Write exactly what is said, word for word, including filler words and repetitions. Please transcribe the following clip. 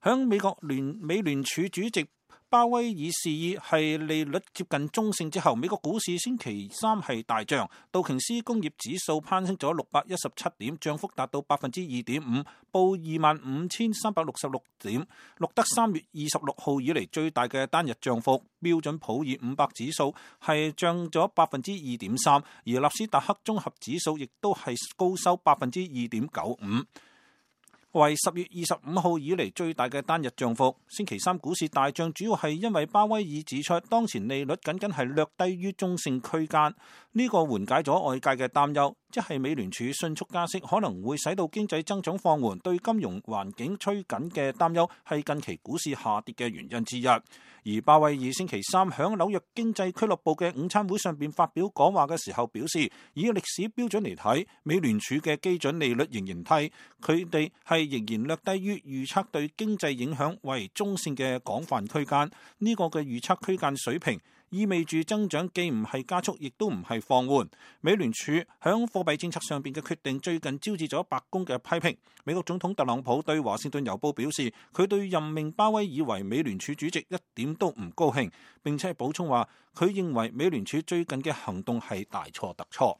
響美國聯美聯儲主席鮑威爾示意係利率接近中性之後，美國股市星期三係大漲，道瓊斯工業指數攀升咗六百一十七點，漲幅達到百分之二點五，報二萬五千三百六十六點，錄得三月二十六號以嚟最大嘅單日漲幅。標準普爾五百指數係漲咗百分之二點三，而納斯達克綜合指數亦都係高收百分之二點九五。為十月二十五號以嚟最大嘅單日漲幅。星期三股市大漲，主要係因為鮑威爾指出，當前利率僅僅係略低於中性區間，呢個緩解咗外界嘅擔憂，即係美聯儲迅速加息可能會使到經濟增長放緩，對金融環境趨緊嘅擔憂係近期股市下跌嘅原因之一。而鮑威爾星期三響紐約經濟俱樂部嘅午餐會上邊發表講話嘅時候表示，以歷史標準嚟睇，美聯儲嘅基準利率仍然低，佢哋係仍然略低於預測對經濟影響為中性嘅廣泛區間。呢個嘅預測區間水平意味住增長既唔係加速，亦都唔係放緩。美聯儲響貨幣政策上邊嘅決定最近招致咗白宮嘅批評。美國總統特朗普對華盛頓郵報表示，佢對任命鮑威爾為美聯儲主席一點都唔高興，並且補充話佢認為美聯儲最近嘅行動係大錯特錯。